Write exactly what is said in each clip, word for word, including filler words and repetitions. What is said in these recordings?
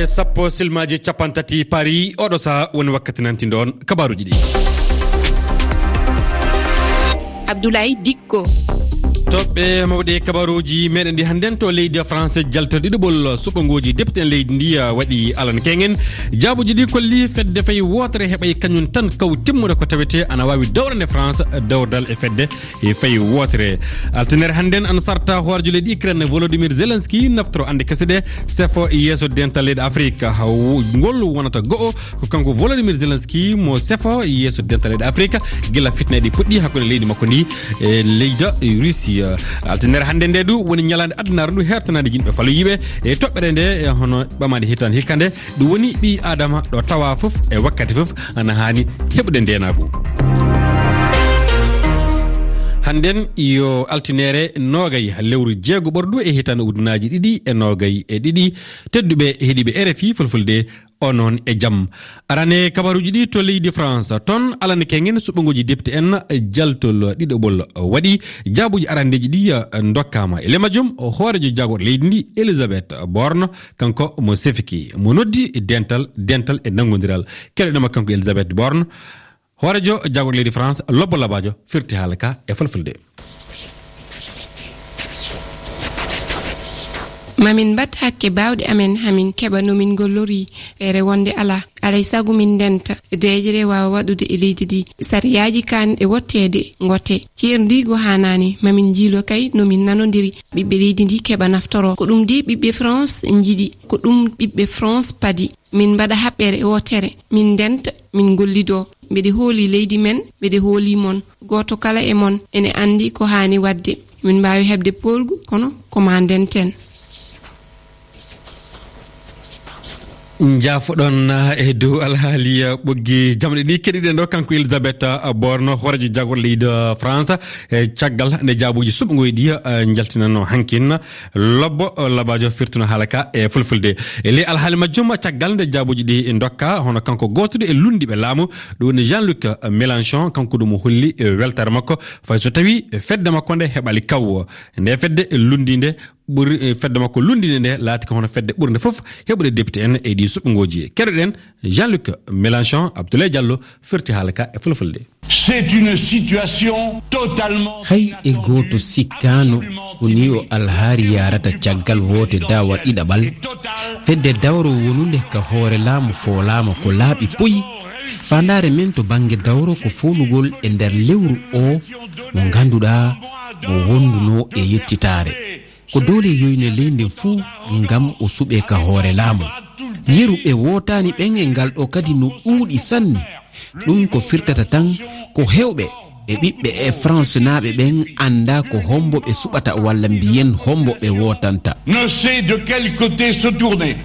Sappo silmaaji cappanɗe tati Paris, oɗo saha woni wakkati nantindo on kabaruuji ɗi. Abdoulaye Dikko. Toɓɓe mawɗe kabaruuji meɗen ɗi hannden to leydi France, jaltal ɗiɗaɓol suɓngooji depte en leydi ndi, ah, waɗi alan kengen. Jaabuji ɗi kolli fedde fay wootere heɓay kañum tan kaw timmude ko tawete ana waawi dawrande France dawrdal e fedde e fay wootere. Altinere hannden ana sarta hoorejo leydi Ukraine Volodymyr Zelensky naftoro ande kese ɗe sefo yeeso dental leyɗe Afrique. Haw ngol wonata go'o ko kanko Volodymyr Zelensky mo sefo yeeso dental leyɗe Afrique gila fitna ɗi puɗɗi hakkunde leydi makko ndi e leyda Russie. Altinere hannde nde du woni ñalaande addunaare ndu hertanaade yimɓe faloyiiɓe e toɓɓere nde, e hono ɓamaade hitaande hikka nde. Ɗum woni ɓii Aadama ɗo tawa fof e wakkati fof ana haani heɓude ndeenaagu. Hannden yo altinere noogay lewru jeego ɓordu e hitaande ujunnaaji ɗiɗi e noogay e ɗiɗi. Tedduɓe heɗiiɓe R F I Fulfulde, onon e jam. Arane kabaruuji ɗi to leydi France. Toon alane kengen suɓngooji depte en jaltol ɗiɗaɓol waɗi. Jaabuuji arandeeji ɗi, eh, ndokkaama. E le majjum, hoorejo jaagorɗo leydi ndi, Elisabeth Borne, kanko mo sefiki, mo noddi dental, dental e nanngondiral. Keɗoɗema kanko Elisabeth Borne. Hoorejo jaagorɗo leydi France, Lobbo Labaajo, firti haala ka e Fulfulde. Mamin mbaɗ hakke baawɗe amen, hamin keɓa no min ngollori, feere wonde alaa. Alay sago min ndenta, deeƴre waawa waɗude e leydi ndi. Sariyaaji kaanɗe wotteede, ngote. Ceerndiigu haanaani, mamin njiilo kay no min nanondiri. Ɓiɓɓe leydi ndi keɓa naftoro. Ko ɗum de ɓiɓɓe France njiɗi, ko ɗum ɓiɓɓe France padi. Min mbaɗa haɓɓere wootere, min ndenta, min ngollidoo. Mbeɗe hooli leydi men, mbeɗe hooli mon. Gooto kala e mon ene anndi ko haani waɗde. Min mbaawi heɓde poolgu, kono ko maa ndenten. Njaafoɗon, eh, e dow alhaali, eh, ɓoggi jamɗe ɗi keɗiɗen ɗo, kanko Elisabeth, eh, Borne, hoorejo jaagorɗo leydi, eh, France, eh, caggal nde jaabuuji suɓngooji ɗi, eh, njaltinanno hankin. Lobbo, eh, Labaajo firtuno haala ka e Fulfulde. E ley alhaali majjum, caggal nde jaabuuji ɗi ndokka, hono kanko gootuɗo e lunndiiɓe laamu, ɗum woni Jean-Luc Mélenchon, kanko ɗum o holli, eh, weltaare makko, fay so tawi fedde makko nde heɓali kaw. Nde fedde lunndiinde ɓuri, eh, fedde makko lunndiinde nde laati ko hono fedde ɓurnde fof heɓude depite en e ɗi suɓngooji. Keɗoɗen Jean-Luc Mélenchon, Abdoulaye Diallo firti haala ka e Fulfulde. C'est une situation totalement... Hay e gooto sikkaano ko ni o alhaari yaarata caggal woote daawa ɗiɗaɓal. Fedde dawro wonunde ka hoore laamu foolaama ko laaɓi puy. Faandaare men to bannge dawro ko foolugol e nder lewru o mo ngannduɗaa mo wonduno e yettitaare. Ko doole yoyne leydi fuu ngam o suɓee ka hoore laamu. Yeru ɓe wootaani ɓen e ngal ɗo kadi no ɗuuɗi sanne. Ɗum ko firtata tan ko heewɓe e ɓiɓɓe e France naaɓe ɓen anndaa ko hombo ɓe suɓata walla mbiyen hombo ɓe wootanta. Ne sait de quel côté se tourner.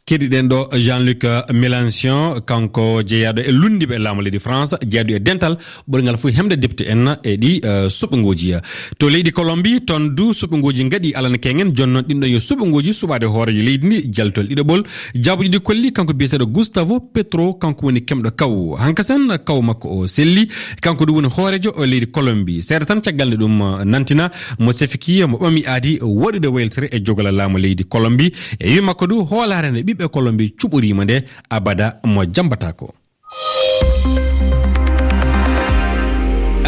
Keɗiɗen ɗo Jean-Luc Mélenchon, kanko jeyaaɗo e lunndiiɓe laamu leydi France, jeyaaɗo e dental ɓurngal fof hemde depte en e ɗi, eh, suɓngooji. To leydi Colombie, toon du suɓngooji ngaɗi alana kengen, jooni noon ɗin ɗo yo suɓngooji suɓaade hooreejo leydi ndi, jaltol ɗiɗaɓol. Jaabuuji ɗi kolli kanko biyeteeɗo Gustavo Petro, kanko woni kemɗo kaw. Hankasen kaw makko o selli, kanko ɗum woni hooreejo o leydi Colombie. Seeɗa tan caggal nde ɗum, eh, nantina mo sefiki mo ɓami aadi waɗude wayltere e jogola laamu leydi Colombie. E wi makko du hoolaare nde ɓiɓɓe Colombie cuɓoriima nde abada mo jambatako.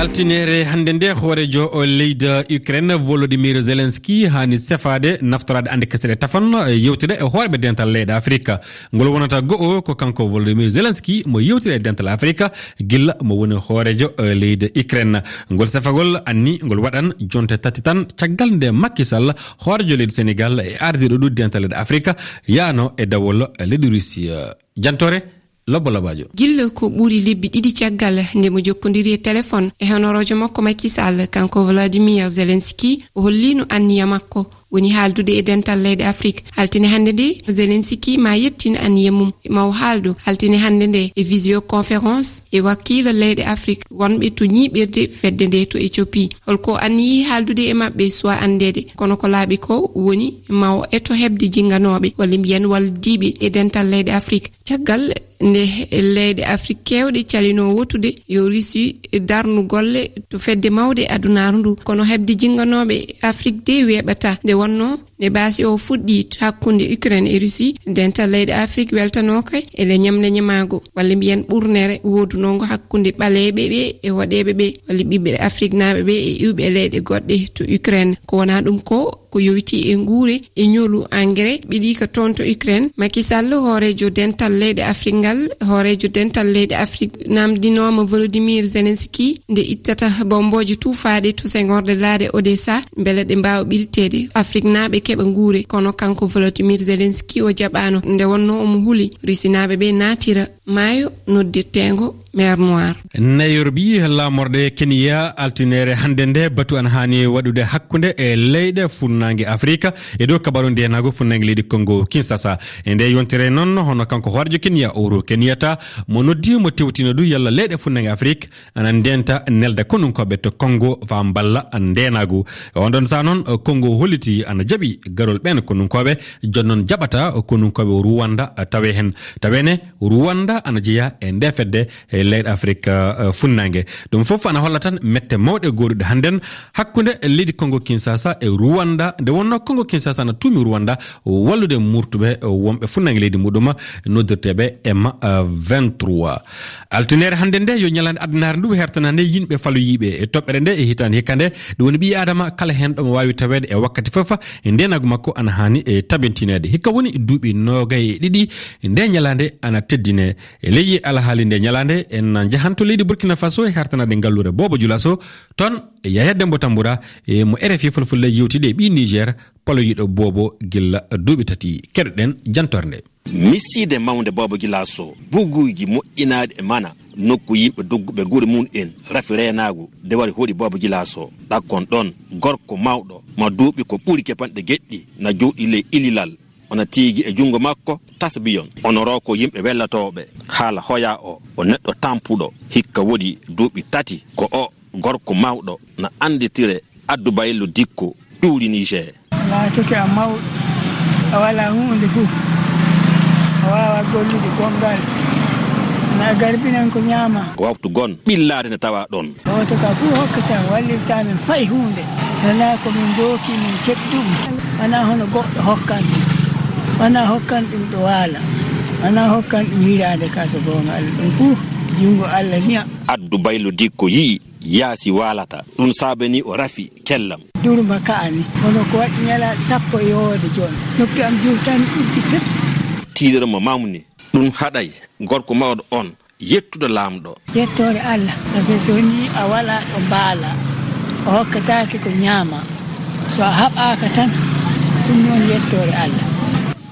Altinere hannde nde hooreejo o leydi Ukraine Volodymyr Zelensky haani sefaade naftoraade ande kese ɗe tafan, eh, yewtida e hooreeɓe dental leyɗe Afrika. Ngol wonata go'o ko kanko Volodymyr Zelensky mo yewtida e dental Afrika gilla mo woni hooreejo, eh, leydi Ukraine. Ngol sefagol anni ngol waɗan jonte tati tan caggal nde Macky Sall, hooreejo leydi Sénégal e ardiiɗo ɗo dental leyɗe Afrika, yaano e dawol leydi Russie. Jantore Lobbo Labaajo. Gilla ko ɓuri lebbi ɗiɗi caggal nde mo jokkondiri e téléphone e honoroojo makko Macky Sall, kanko Volodymyr Zelensky, o holliino anniya makko woni haaldude e dental leyɗe Afrique. Altine hannde nde, Zelensky ma yettin anniya mum, ma o haaldo altine hannde nde e visioconférence e wakiila leyɗe Afrique wonɓe to ñiiɓirde fedde nde to Éthiopie. Holko anniyi haaldude e maɓɓe suwa anndeede, kono ko laaɓi ko woni ma o eto heɓde jinnganooɓe walla mbiyen wallodiiɓe e dental leyɗe Afrique. Caggal nde leyɗe Afrique keewɗe calino wotude yo Russie darnu golle to fedde mawɗe adunaaru ndu, kono heɓde jinnganooɓe Afrique de weeɓata nde Wonno nde baasi o fuɗɗi hakkunde Ukraine e Russie, dental leyɗe Afrik weltanooka e le ñamle ñamaago, walla mbiyen ɓurnere woodunongo hakkunde ɓaleeɓe ɓe e woɗeeɓe ɓe, walla ɓiɓɓe Afriknaaɓe ɓe e iwɓe leyɗe goɗɗe to Ukraine. Ko wonaa ɗum ko, ko yowiti e nguure e ñolu engrais ɓiɗi ka toon to Ukraine. Macky Sall, hooreejo dental leyɗe Afrik ngal, hooreejo dental leyɗe Afrik namdinooma Volodymyr Zelensky nde ittata bombooje tuufaaɗe to sengorde laaɗe Odessa, mbele ɗe mbaawa ɓilteede Afriknaaɓe keɓa nguure. Kono kanko Volodymyr Zelensky o jaɓaano, nde wonno omo huli Rusinaaɓe ɓe naatira maayo noddirteengo Mer Noir. Nairobi, laamorɗe Kenya, altinere hannde nde, batu ana haani waɗude hakkunde e leyɗe funnaange Afrika e dow kabaru ndeenaagu funnaange leydi Congo Kinshasa. E nde yontere noon, hono kanko hoorejo Kenya, Uhuru Kenyatta, mo noddi, mo tewtino du yalla leyɗe funnaange Afrika ana ndenta nelda konunkooɓe to Congo faa mballa ndeenaagu. E on ɗon saa noon, Congo holliti ana jaɓi garol ɓeen konunkooɓe, jooni noon jaɓata konunkooɓe Rwanda tawe heen. Taweene Rwanda ana jeyaa e nde fedde e leyɗe Afrik, eh, funnaange. Ɗum fof ana holla tan mette mawɗe gooduɗe hannden hakkunde leydi Congo Kinshasa e Rwanda, nde wonnoo Congo Kinshasa ana tuumi Rwanda wallude murtuɓe, eh, wonɓe funnaange leydi muɗum noddirteeɓe M vingt-trois. Altinere hannde nde yo ñalaande addunaare ndu hertanande yimɓe faloyiiɓe e toɓɓere nde e hitaande hikka nde. Ɗum woni ɓii Aadama kala heen ɗo mo waawi taweede e wakkati fof, e ndeenaagu makko ana haani e tabintineede. Hikka woni duuɓi noogay e ɗiɗi nde ñalaande ana teddine. E ley alhaali nde ñalaande, en njahan to leydi Burkina Faso e hertanaade ngalluure Boobo Julaso. Toon, Yaya Dembo Tambura e mo R F I Fulfulde yewtidi e ɓii Niger, paloyiiɗo Boobo gilla duuɓi tati. Keɗoɗen jantorde nde. Misiide mawnde Boobo Julaso, buguuji moƴƴinaaɗi e mana, nokku yimɓe dogguɓe gure mum en, rafi reenaagu, de wari hoɗi Boobo Julaso. Ɗakkon ɗon, gorko mawɗo, ma duuɓi ko ɓuri kepanɗe geɗɗi, na jooɗi ley ililal. Ona tiigi e junngo makko tasbiyon. Ono roko yimɓe wellatooɓe. Haala hoya o, o neɗɗo tampuɗo. Hikka woodi duuɓi tati ko o gorko mawɗo na annditire Addu Baylo Dikko ƴuuri Niger. Laatoke a mawɗo, a walaa huunde fuu. A waawaa gollude gonngal. Na garbinan ko ñaama. Ko waftu gon ɓillaade ne tawa ɗon. Gooto ka fuu hokkata wallirta min fay huunde. Wonaa ko min ndooki min keɓi ɗum. Wonaa hono goɗɗo hokkan ɗum. Wonaa hokkan ɗum ɗo waala. Wonaa hokkan ɗum hiraande ka so goonga Allah. Ɗum fuu junngo Allah niya. Addu Baylo Dikko yi'i yaasi waalata. Ɗum saabani o rafi kellam. Durma ka'ani. Kono ko waɗi ñalaaɗe sappo e yowoode jooni. Noppi am juutani uddi pep. Tiiɗere mo mamni. Ɗum haɗay gorko mawɗo on yettude Laamɗo. Yettoore Allah, sabi so wonii a walaa ɗo mbaalaa, o hokkataake ko ñaamaa. So a haɓaaka tan, ɗum noon yettoore Allah.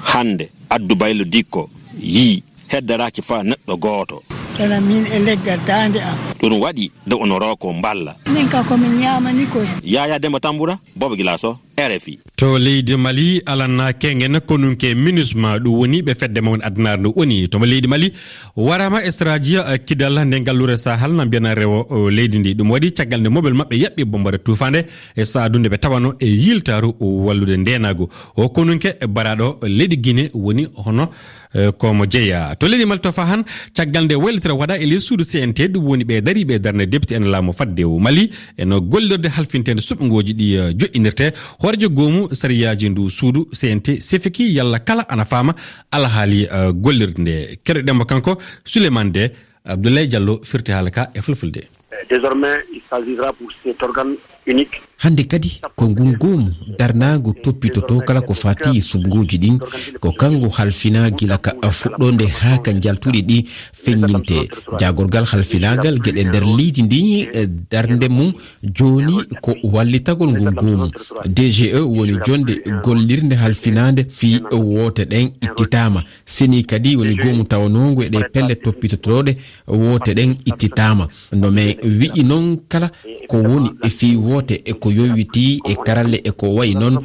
Hannde, Addu Baylo Dikko yii heddaraaki faa neɗɗo gooto. Kono miin e leggal daande am. Ɗum waɗi de ono roko mballa. Min ka ko min ñaamani koy. Yaya Demba Tambura, Boobo Gilaaso, R F I. To leydi Mali, alanna kengen konunke MINUSMA, ɗum woni ɓe fedde mawne addunaare nde woni. To leydi Mali, waraama e saraaji, eh, kidal nde ngalluure Sahel na mbiyana rewo, o, leydi ndi. Ɗum waɗi caggal nde mobel maɓɓe yaɓɓi bombare tuufaande e saadu nde ɓe tawano e yiltaaru wallude ndeenaagu. O konunke baraaɗo leydi Guinée woni hono, eh, ko mo jeyaa. To leydi Mali to fahan, caggal nde waylitira waɗa e ley suudu C N T, ɗum woni ɓe dariiɓe darnde député en laamu fadde o Mali, eno gollirde halfinteende suɓngooji ɗi, eh, joƴƴinirte. Hooreejo goomu sariyaaji ndu suudu C N T sefiki yalla kala ana faama alhaali, eh, gollirde nde. Keɗoɗen mo kanko, Souleymane De, Abdoulaye Diallo firti haala ka e fulfulde. Désormais, il s'agira pour cet organe unique. Hannde kadi ko ngun goomu darnaangu toppitotoo kala ko faati e suɓngooji ɗin, ko kanko halfinaa gila ka fuɗɗoonde haa ka njaltuɗi ɗi feññinte. Jaagorgal halfinaangal geɗe nder leydi ndi, eh, darnde mum jooni ko wallitagol ngun goomu. D G E woni jonde gollirnde halfinaande fii woote ɗen ittitaama. Seni kadi woni goomu tawanoongu e ɗe pelle toppitotooɗe woote ɗen ittitaama. No men wi'i non kala ko woni e fii woote e ko yowitii e karalle e ko wayi non,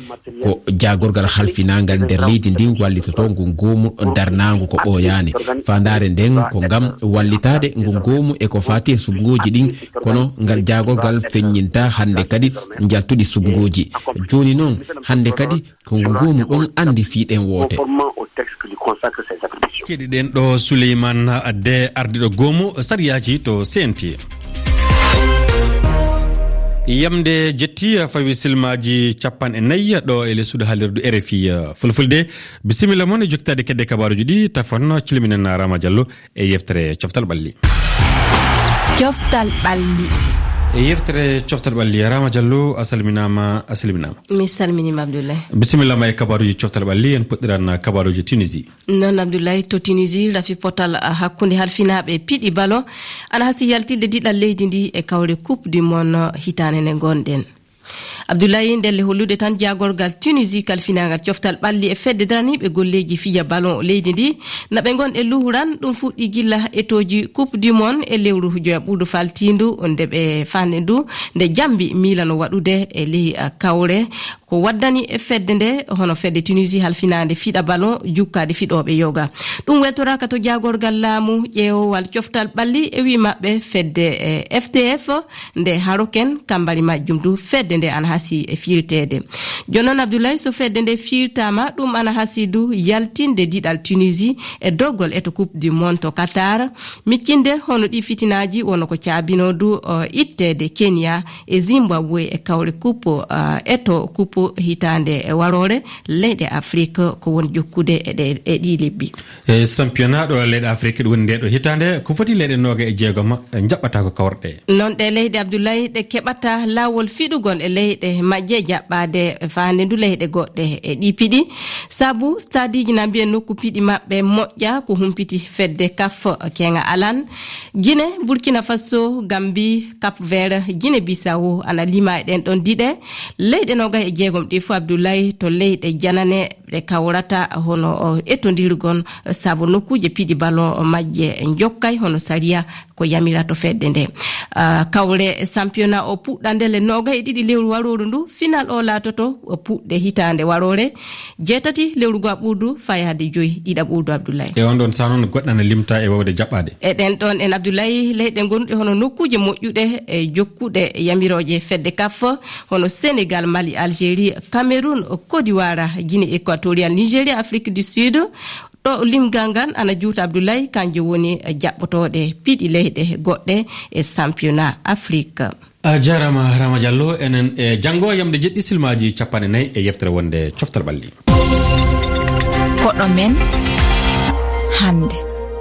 ko jaagorgal halfinaangal nder leydi ndin wallitotoo ngun goomu darnaangu ko ɓooyaani. Faandaare nden ko ngam wallitaade ngun goomu e ko faati e suɓngooji ɗin, kono ngal jaagorgal feññinta hannde kadi njaltuɗi suɓngooji. Jooni non, hannde kadi ko ngu goomu ɗon anndi fii ɗen woote. Conformément au texte qui lui consacre ses attributions. Keɗiɗen ɗo Souleymane De, ardiɗo goomu sariyaaji to C N T. Yamde jetti, fawi silmaaji capanɗe nayi ɗo e les suudu haalirdu R F I Fulfulde. Bisimilla mon e jokkitaade kedde kabaaruuji ɗi, tafon cilminen Rama Diallo e yeftere Coftal Ɓalli. Coftal Ɓalli. E yeftere Coftal Ɓalli, Rama Diallo, a salminaama, a salminaama. Mi salminiima, Abdoulaye. Bisimilla ma e kabaaruuji Coftal Ɓalli, en puɗɗiran kabaaruuji Tunisie. Noon, Abdoulaye, to Tunisie, rafi potal, ah, hakkunde halfinaaɓe piɗi balo ana hasii yaltinde diɗal leydi ndi e kawre Coupe du Monde hitaande nde ngonɗen. Abdoulaye, ndelle hollude tan jaagorgal Tunisie kalfinaangal coftal ɓalli e fedde daraniiɓe golleeji fiya ballon leydi ndi, na ɓe ngon e luhuran, ɗum fuɗɗi gilla etooji Coupe du Monde e lewru joya ɓuuɗu faltiindu, nde ɓe faande ndu, nde jambi miilano waɗude e ley, ah, kawre. Ko waddani e fedde nde, hono fedde Tunisie halfinaande fiɗa ballon, jukkaade fiɗooɓe yoga. Ɗum weltoraaka to jaagorgal laamu ƴeewowal coftal ɓalli e wii maɓɓe fedde, eh, F T F, nde haroken kambari majjum du, fedde nde ana hasii e fiirteede. Jooni noon, Abdoulaye, so fedde nde fiirtaama, ɗum ana hasii du yaltinde diɗal Tunisie e doggol eto Coupe du Monde to Qatar, miccinde hono ɗi fitinaaji wonno ko caabinoo du, o, itteede Kenya e Zimbabwe e kawre Coupe, o, eto Coupe hitaande e waroore leyɗe Afrik ko woni jokkude e ɗe, e ɗii lebbi. E championnat ɗo leyɗe Afrik ɗo woni nde ɗo hitaande, ko foti leyɗe nooga e jeegom njaɓɓata ko kawre ɗe. Noon ɗe leyɗe, Abdoulaye, ɗe keɓata laawol fiɗugol e leyɗe majje jaɓɓaade faande ndu leyɗe goɗɗe e ɗi piɗi. Sabu stadiiji na mbiya nokku piɗi maɓɓe moƴƴa ko humpiti fedde kaf keŋa alan. Gine, Burkina Faso, Gambi, Cap Vert, Gine Bisawo ana lima e ɗen ɗon diɗe. Leyɗe nooga e jeegom ɗi fof, Abdoulaye, to leyɗe janane ɗe kawrata hono, o, etondirgon, sabu nokkuuje piɗi ballon majje njokkay hono sariya ko yamirato fedde nde. Ah, kawre championnat o puɗɗa ndelle nooga e ɗiɗi lewru warooru ndu, final o laatoto o puɗɗe hitaande waroore, jeetati lewru go'a ɓuuɗu fayaade joyi ɗiɗa ɓuuɗu, Abdoulaye. E on ɗon saha noon goɗɗe ana limta e wawde jaɓɓaade. E ɗen ɗon en, Abdoulaye, leyɗe gonɗe hono nokkuuje moƴƴuɗe e jokkuɗe yamirooje fedde kaf, hono Sénégal, Mali, Algérie, Cameroun, Côte d'Ivoire, Guinée équatoriale, Nigeria, Afrique du Sud. Ɗo limgal ngal ana juuta, Abdoulaye, kanje woni jaɓɓotooɗe piɗi leyɗe goɗɗe e championnat Afrique. A jaaraama, Rama Diallo. Enen e janngo yamde jeɗɗi silmaaji capanɗe nayi e yeftere wonde coftal ɓalli. Koɗo men hannde.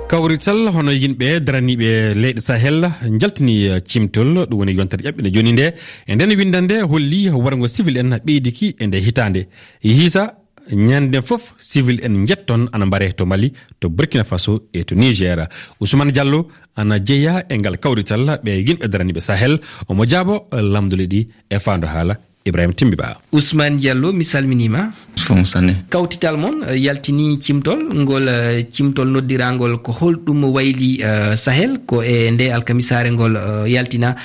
Kawrital hono yimɓe daraniiɓe leyɗe Sahel njaltini, eh, cimtol, ɗum woni yontere ƴaɓɓinde jooni nde. E nden winndannde holli warngo civil en ɓeydiki e nde hitaande. Hiisa ñande fof civil en njetton ana mbare to Mali, to Burkina Faso e to Niger. Ousmane Diallo ana jeyaa e ngal kawrital ɓe yimɓe daraniiɓe Sahel. Omo jaabo lamndule ɗi e faando haala Ibrahima Timbi Ba. Ousmane Diallo, mi salminiima. Fof sanne. Kawtital mon, eh, yaltini cimtol, ngol, eh, cimtol noddiraangol ko holɗum wayli, eh, Sahel, ko e nde alkamisaare ngol, eh, yaltina.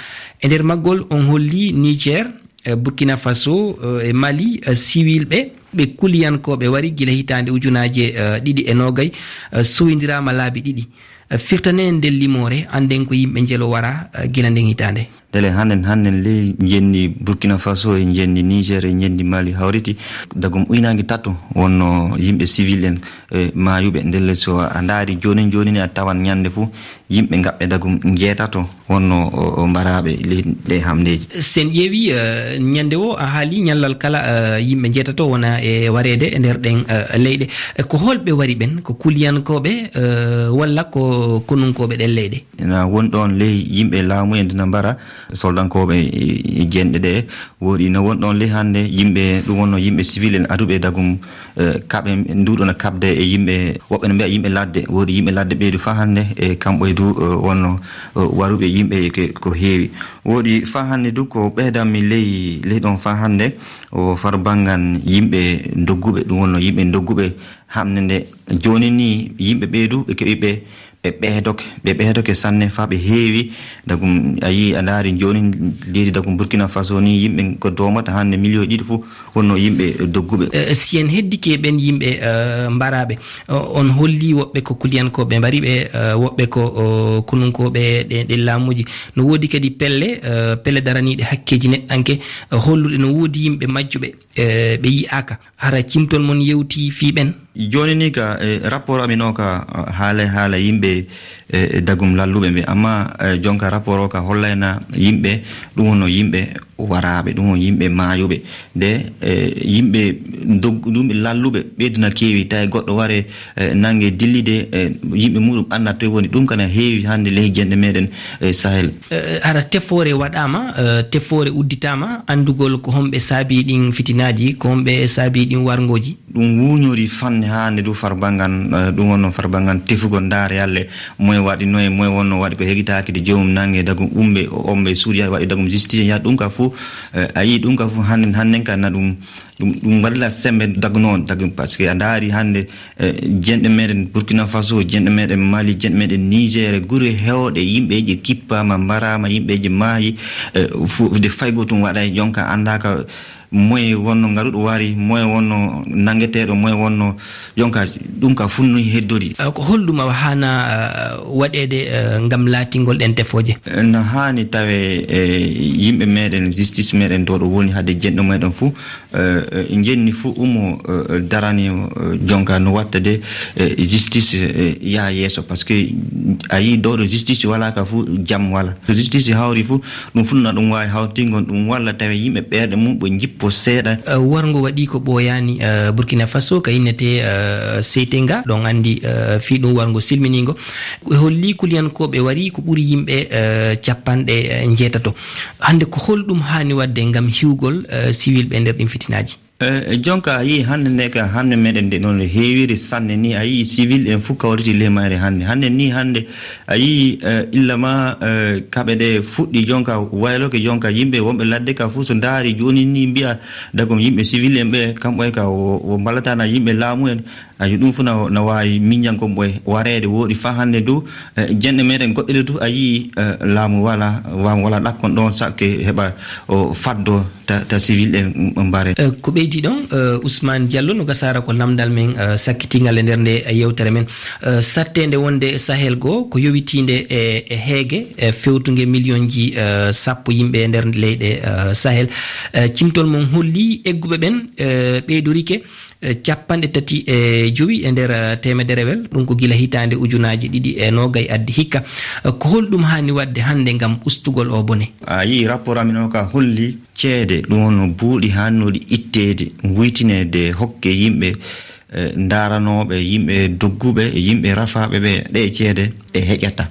E nder maggol on holli Niger, eh, Burkina Faso, eh, e Mali, eh, siwilɓe, ɓe kuliyankooɓe wari gila hitaande ujunaaje, eh, ɗiɗi e noogay, eh, sowindiraama laabi ɗiɗi. Eh, firtane en nden limoore, annden ko yimɓe njelo wara, eh, gila nden hitaande. Ndele hannden, hannden ley njenndi Burkina Faso e njenndi Niger e njenndi Mali hawriti. Dagum uynaange tato wonno yimɓe civil en, eh, maayuɓe. Ndelle so a ndaari joonin joonin a tawan ñande fuu yimɓe ngaɓɓe dagum njeetato wonno o, o mbaraaɓe ley ɗe hamndeeji. Sen ƴeewi, eh, ñande o a haali ñallal kala, eh, yimɓe njeetato wona e wareede e nder ɗen, eh, leyɗe. Eh, ko holɓe wari ɓen? Ko kuliyankooɓe, eh, walla ko konunkooɓe ɗen leyɗe? Ina won ɗon ley yimɓe laamu en dina mbara soldankooɓe e, e jenɗe ɗe. Woodi ina won ɗon ley hannde yimɓe, ɗum wonno yimɓe civil en aduɓe dagum, eh, kaɓe nduɗon kaɓde e yimɓe, woɓɓe no mbiya yimɓe ladde. Woodi yimɓe ladde ɓeydu faa hannde e kamɓe du, eh, wonno, eh, waruɓe yimɓe ke-, ko heewi. Woodi faa hannde du ko ɓeydanmi ley, ley ɗon faa hannde o far banngan yimɓe dogguɓe, ɗum wonno yimɓe dogguɓe hamnde nde. Jooni ni yimɓe ɓeydu ɓe keɓi ɓe ɓe ɓeydoke, ɓe ɓeydoke sanne faa ɓe heewi. Dagum, a yii, a ndaari jooni leydi dagum Burkina Faso ni, yimɓe ko doomata hannde miliyoŋ ɗiɗi fof wonno yimɓe dogguɓe. Eh, si en heddike ɓen yimɓe, eh, mbaraaɓe, o-, on holli woɓɓe ko kuliyankooɓe mbari ɓe, eh, woɓɓe ko, o, konunkooɓe ɗe, ɗe laamuuji. No woodi kadi pelle, eh, pelle daraniiɗe hakkeeji neɗɗanke, eh, holluɗe no woodi yimɓe majjuɓe, eh, ɓe yi'aaka. Hara cimtol mon yewti fii ɓen? Jooni ni ka, eh, rapport amin o ka, eh, haala, haala yimɓe, eh, dagum lalluɓe ɓe. Amma, eh, jonka rapport o ka hollayna yimɓe, ɗum wonno yimɓe Waraaɓe ɗum o yimɓe maayuɓe, de, e, yimɓe dog-, ɗum ɓe lalluɓe, ɓeydu na keewi, tawi goɗɗo ware, e, nange dillide, e, yimɓe muɗum annda toye woni. Ɗum kana heewi hannde ley jenɗe meɗen, e, Sahel. E, hara tefoore waɗaama, e, tefoore udditaama, anndugol ko homɓe saabi ɗin fitinaaji, ko homɓe saabi ɗin warngooji? Ɗum wuñori fanne hannde du farbangan, e, ɗum wonno farbangan tefugol ndaare yalle moye waɗi noye, moye wonno waɗi ko hegitaaki de joomum nange dagum umɓe, o omɓe suuɗi waɗi dagum justice yaha ɗum ka fuu. Eh, a yii ɗum ka fuu hannden, hannden ka na ɗum, ɗum, ɗum waɗila sembe dagnoon, dagum, parce que a ndaari hannde, eh, jenɗe meɗen Burkina Faso, jenɗe meɗen Mali, jenɗe meɗen Niger, gure heewɗe, yimɓeeji kippaama, mbaraama, yimɓeeji maayi, eh, fu-, de faygo tum waɗay, jonka anndaaka moye wonno ngaruɗo wari, moye wonno nangeteeɗo, moye wonno, jonka ɗum ka funnu heddori. Eh, ko holɗum awa haana, eh, waɗeede, eh, ngam laatingol ɗen tefooje? Eh, no haani tawe, eh, yimɓe meɗen, justice meɗen ɗo ɗo woni hade jenɗo meɗen fuu, eh, eh, jenni fuu umo, eh, darani, eh, jonka no watta de, eh, justice, eh, yaha yeeso, parce que a yii ɗo ɗo justice wala ka fuu jam wala. So justice hawri fuu, ɗum fuu na ɗum waawi hawtingol ɗum walla tawi yimɓe ɓerɗe mum ɓe jippo seeɗa. Eh, warngo waɗi ko ɓooyaani, eh, Burkina Faso, ka innete, eh, Seytenga, ɗon anndi, eh, fii ɗum warngo silminiingo. E holli kuliyankooɓe wari ko ɓuri yimɓe, eh, capanɗe, eh, njeetato. Hannde ko holɗum haani waɗde ngam hiwgol, eh, siwilɓe e nder ɗin fitinaaji? Eh, jonka a yii hannde nde ka, hannde meɗen nde noon no heewiri sanne ni, a yii civil en fuu kawriti ley mayre hannde. Hannde ni, hannde a yii, eh, illa ma, eh, kaɓe ɗe fuɗɗi jonka wayloke jonka yimɓe wonɓe ladde ka fuu so ndaari jooni ni mbiya dagom yimɓe civil en ɓe kamɓe ka wo, wo mballatana yimɓe laamu en. Ayi, ɗum fof na, na waawi miññankon ɓoy wareede wooɗi faa hannde du, eh, jenɗe meɗen goɗɗe ɗe du, a yii, eh, laamu wala, laamu wala ɗakkon ɗoon sakke heɓa o faddo ta, ta civil en mbare. Eh, ko ɓeydi ɗon, eh, Ousmane Diallo, no gasaara ko lamndal men, eh, sakkitingal e nder nde, eh, yewtere men. Eh, satteende wonde Sahel goo, ko yowitiinde e, e heege, e fewtunge miliyonji, eh, sappo yimɓe e nder leyɗe, eh, Sahel. Eh, cimtol mon holli egguɓe ɓen, eh, ɓeydorike, eh, capanɗe tati e jowi e nder, eh, teemederewel, ɗum ko gila hitaande ujunaaji ɗiɗi e noogay addi hikka. Eh, ko holɗum haani waɗde hannde ngam ustugol oo bone? A yii rapport amin o ka holli ceede, ɗum wonno buuɗi haannooɗi itteede, wuytineede, hokke yimɓe, eh, ndaaranooɓe, yimɓe dogguɓe, yimɓe rafaaɓe ɓe, ɗe ceede ɗe heƴata.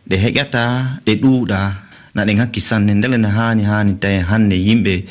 Ɗe heƴata, ɗe ɗuuɗa, na ɗe ŋakki sanne. Ndele na haani, haani tawi hannde yimɓe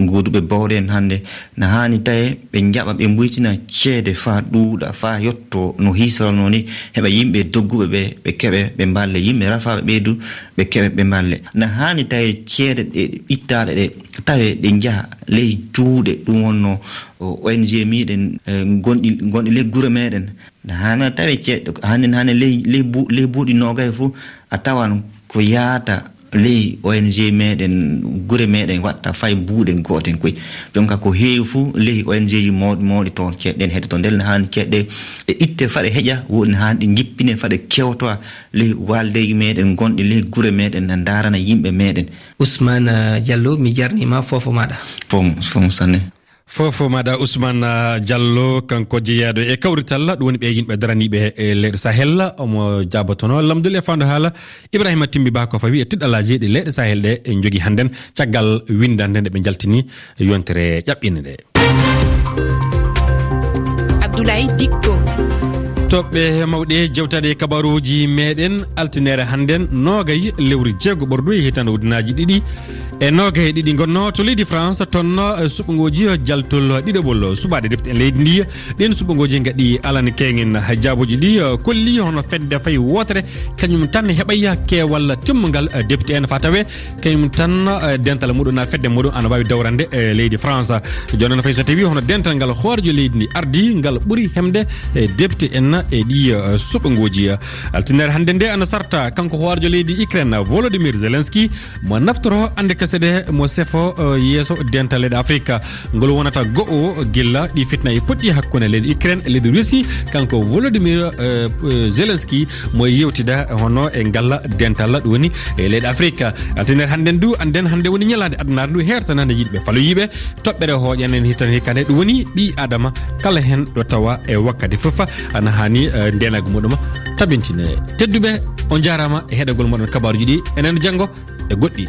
gooduɓe bawɗe en hannde, na haani tawi ɓe njaɓa, ɓe mbuytina ceede faa ɗuuɗa, faa yotto no hiisarnoo ni, heɓa yimɓe dogguɓe ɓe, ɓe keɓe, ɓe mballe. Yimɓe rafaaɓe ɓe du, ɓe keɓe, ɓe mballe. Na haani tawi ceede ɗe ittaaɗe ɗe, tawe ɗe njaha ley juuɗe, ɗum wonno o, O N G miiɗen, eh, gonɗi, gonɗi ley gure meɗen. Na haana tawe ceeɗɗo, hannde, hannde ley, ley bu-, ley buuɗi noogay fof, a tawan ko yaata ley O N G meɗen, gure meɗen waɗta fay buuɗe gooten koy. Jonka ko heewi fof ley O N G ji mawɗi, mawɗi toon ceeɗe ɗen heɗe toon. Ndel na haani ceeɗe ɗe itte faɗe heƴa, woni haani ɗe njippine faɗe kewtowa ley waaldeeji meɗen gonɗi ley gure meɗen, na ndaarana yimɓe meɗen. Ousmane, eh, Diallo, mi jarnima foofo maɗa. Foofo, foofo sanne. Foofo maɗa Ousmane, eh, Diallo, kanko jeyaaɗo e kawrital, ɗum woni ɓe yimɓe daraniiɓe e leyɗe Sahel, omo jaabotono lamdol e faandu haala Ibrahima Timbi Ba ko fawi e tiɗɗalaaji ɗi leyɗe Sahel ɗe en jogi hannden, caggal winndannde nde ɓe njaltini yontere ƴaɓɓinde nde. Abdoulaye Dikko. Toɓɓe mawɗe jewtaɗe kabaruuji meɗen, altineere hannden, noogay lewru jeego ɓordu e hitaande ujunaaji ɗiɗi e noogay e ɗiɗi. Ngonno to leydi France, toon, eh, suɓngooji jaltol ɗiɗaɓol suɓaade depte en leydi ndi. Ɗin suɓngooji ngaɗi alan keŋen. Jaabooji ɗi, eh, kolli hono fedde fay wootere, kañum tan heɓay keewal timmungal, eh, depte en faa tawe kañum tan, eh, dental muɗum na fedde muɗum ana waawi dawrande, eh, leydi France. Jooni noon fay so tawi hono dental ngal hooreejo leydi ndi ardi, ngal ɓuri hemde, eh, depte en e ɗi, eh, suɓngooji. Altineere hannde nde ana sarta kanko hooreejo leydi Ukraine, Volodymyr Zelensky, mo naftoro annde kese ɗe, mo sefo, eh, yeeso dental leyɗe Afrika. Ngol wonata go'o gilla ɗi fitna e puɗɗi hakkunde leydi Ukraine e leydi Russie. Kanko Volodymyr, eh, eh, Zelensky mo yewtida hono e ngalla dental ɗum woni e leyɗe Afrika. Altineere hannden du, annden hannde woni ñalaande addunaare ndu hertanande yiɗɓe faloyiiɓe. Toɓɓere hooƴanen hitan hikka nde ɗum woni ɓii Adama kala heen ɗo tawa e wakkati fof ana haani, eh, ndeenagu muɗum tabintine. Tedduɓe, on njaaraama e heɗagol moɗon kabaaruuji ɗi. Enen janngo e goɗɗi.